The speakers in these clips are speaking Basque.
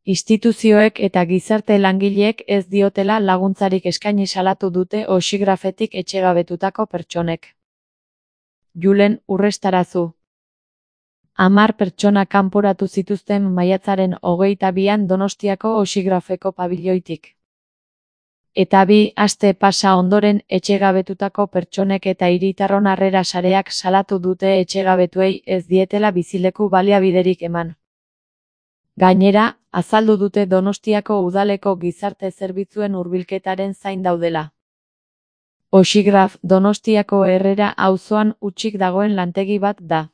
Instituzioek eta gizarte langileek ez diotela laguntzarik eskaini salatu dute oxigrafetik etxegabetutako pertsonek. Julen Urrestarazu. 10 pertsona kanporatu zituzten maiatzaren 22an Donostiako oxigrafeko pabiloitik. Eta 2 aste pasa ondoren etxegabetutako pertsonek eta Hiritarron Harrera Sareak salatu dute etxegabetuei ez dietela bizileku baliabiderik eman. Gainera, azaldu dute Donostiako udaleko gizarte zerbitzuen hurbilketaren zain daudela. Oxigraf Donostiako Herrera auzoan hutsik dagoen lantegi bat da.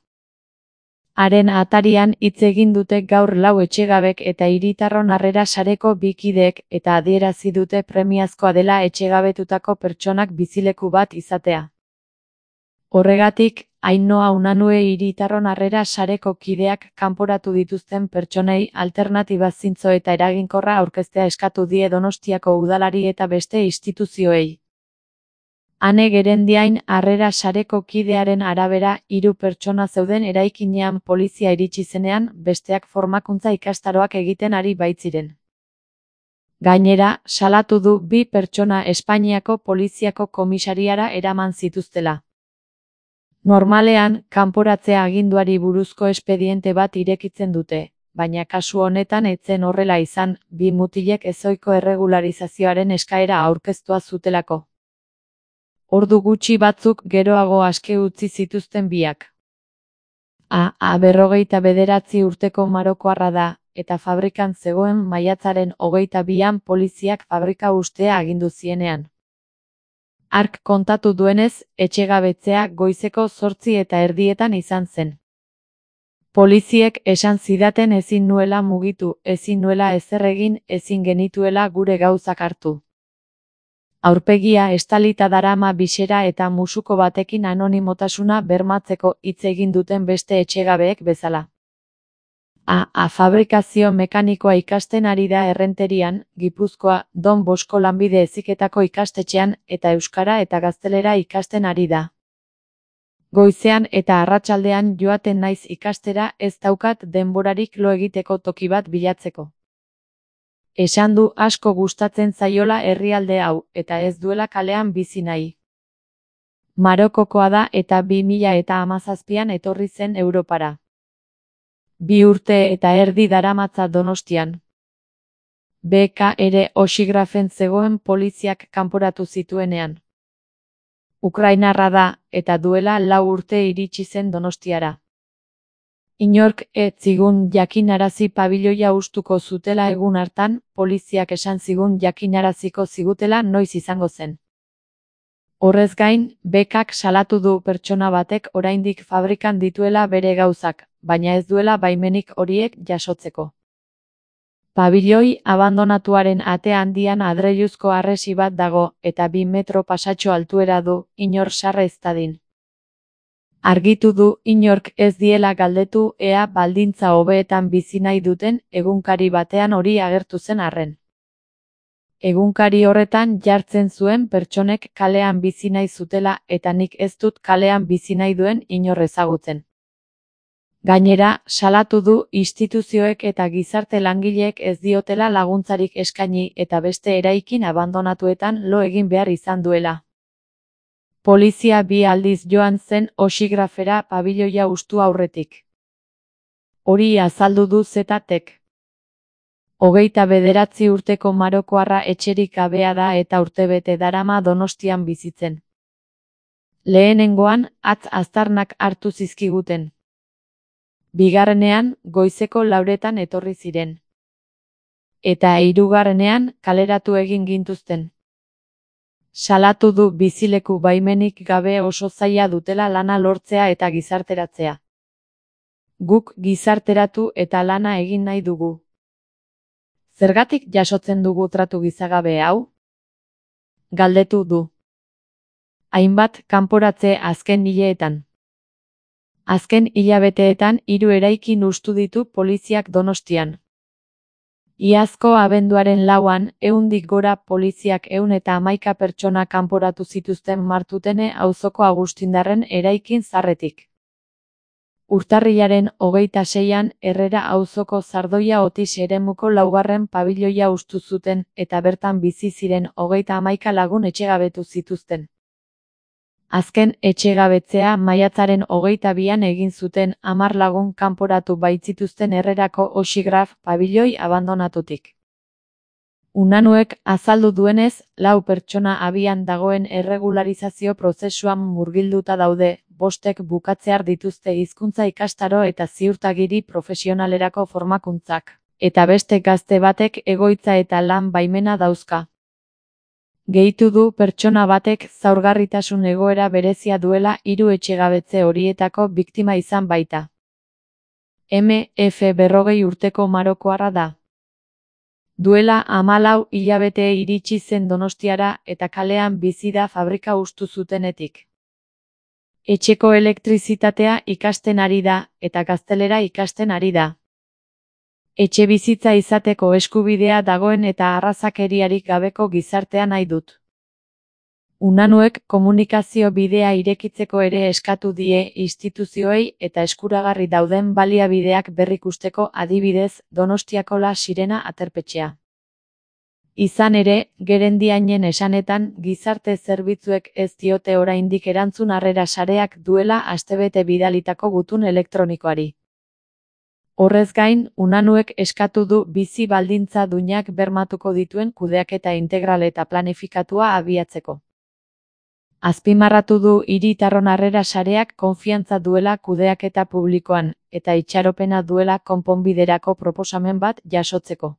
Haren atarian hitz egin dute gaur 4 etxegabek eta Hiritarron Harrera Sareko 2 kideek eta adierazi dute premiazkoa dela etxegabetutako pertsonak bizileku bat izatea. Horregatik, Ainhoa Unanue Hiritarron Harrera Sareko kideak kanporatu dituzten pertsonei alternatiba zintzo eta eraginkorra aurkeztea eskatu die Donostiako udalari eta beste instituzioei. Ane Gerendiain Harrera Sareko kidearen arabera 3 pertsona zeuden eraikinean polizia iritsi zenean besteak formakuntza ikastaroak egiten ari baitziren. Gainera, salatu du 2 pertsona Espainiako poliziako komisariara eraman zituztela. Normalean, kanporatzea aginduari buruzko espediente bat irekitzen dute, baina kasu honetan ez zen horrela izan, 2 mutilek ezohiko erregularizazioaren eskaera aurkeztua zutelako. Ordu gutxi batzuk geroago aske utzi zituzten biak. 59 urteko marokoarra da, eta fabrikan zegoen maiatzaren 22an poliziak fabrika ustea agindu zienean. Hark kontatu duenez, etxegabetzea goizeko 8:30 izan zen. Poliziek esan zidaten ezin nuela mugitu, ezin nuela ezer egin, ezin genituela gure gauzak hartu. Aurpegia estalita darama bisera eta musuko batekin anonimotasuna bermatzeko hitz egin duten beste etxegabeek bezala. Fabrikazio mekanikoa ikasten ari da Errenterian, Gipuzkoa, Don Bosko lanbide heziketako ikastetxean eta euskara eta gaztelera ikasten ari da. Goizean eta arratsaldean joaten naiz ikastera, ez daukat denborarik lo egiteko toki bat bilatzeko. Esan du asko gustatzen zaiola herrialde hau eta ez duela kalean bizi nahi. Marokokoa da eta 2017an etorri zen Europara. 2 urte eta erdi daramatza Donostian. BK ere oxigrafen zegoen poliziak kanporatu zituenean. Ukrainarra da, eta duela 4 urte iritsi zen Donostiara. Inork ez zigun jakinarazi pabiloia hustuko zutela egun hartan, poliziak esan zigun jakinaraziko zigutela noiz izango zen. Horrez gain, BKk salatu du pertsona batek oraindik fabrikan dituela bere gauzak, baina ez duela baimenik horiek jasotzeko. Pabiloi abandonatuaren ate handian adreiluzko harresi bat dago eta 2 metro pasatxo altuera du, inor sarra ez dadin. Argitu du inork ez diela galdetu ea baldintza hobeetan bizi nahi duten egunkari batean hori agertu zen arren. Egunkari horretan jartzen zuen pertsonek kalean bizi nahi zutela eta nik ez dut kalean bizi nahi duen inor ezagutzen. Gainera, salatu du instituzioek eta gizarte langileek ez diotela laguntzarik eskaini eta beste eraikin abandonatuetan lo egin behar izan duela. Polizia 2 aldiz joan zen oxigrafera pabiloia hustu aurretik. Hori azaldu du Zetek. 29 urteko marokoarra etxerik gabea da eta urtebete darama Donostian bizitzen. Lehenengoan, atz aztarnak hartu zizkiguten. Bigarrenean, goizeko 4etan etorri ziren. Eta 3. kaleratu egin gintuzten. Salatu du bizileku baimenik gabe oso zaila dutela lana lortzea eta gizarteratzea. Guk gizarteratu eta lana egin nahi dugu. Zergatik jasotzen dugu tratu gizagabe hau? Galdetu du. Hainbat kanporatze azken hileetan. Azken hilabeteetan 3 eraikin hustu ditu poliziak Donostian. Iazko abenduaren 4an, 100 gora poliziak 111 pertsona kanporatu zituzten Martutene auzoko Agustindarren eraikin zaharretik. Urtarrilaren 26an Herrera auzoko Zardoia Otis eremuko laugarren pabiloia hustu zuten eta bertan bizi ziren 31 lagun etxegabetu zituzten. Azken etxegabetzea maiatzaren 22an egin zuten 10 lagun kanporatu baitzituzten Herrerako Oxigraf pabiloi abandonatutik. Unanuek azaldu duenez, 4 pertsona abian dagoen erregularizazio prozesuan murgilduta daude, 5ek bukatzear dituzte hizkuntza ikastaro eta ziurtagiri profesionalerako formakuntzak, eta beste gazte batek egoitza eta lan baimena dauzka. Gehitu du pertsona batek zaurgarritasun egoera berezia duela 3 etxegabetze horietako biktima izan baita. MF 40 urteko marokoarra da. Duela 14 hilabete iritsi zen Donostiara eta kalean bizi da fabrika hustu zutenetik. Etxeko elektrizitatea ikasten ari da eta gaztelera ikasten ari da. Etxebizitza izateko eskubidea dagoen eta arrazakeriarik gabeko gizartea nahi dut. Unanuek komunikazio bidea irekitzeko ere eskatu die instituzioei eta eskuragarri dauden baliabideak berrikusteko, adibidez, Donostiako La Sirena aterpetxea. Izan ere, gerendiainen esanetan, gizarte zerbitzuek ez diote oraindik erantzun Harrera Sareak duela astebete bidalitako gutun elektronikoari. Horrez gain, Unanuek eskatu du bizi baldintza duinak bermatuko dituen kudeaketa integral eta planifikatua abiatzeko. Azpimarratu du hiritarron Harrera Sareak konfiantza duela kudeaketa publikoan, eta itxaropena duela konponbiderako proposamen bat jasotzeko.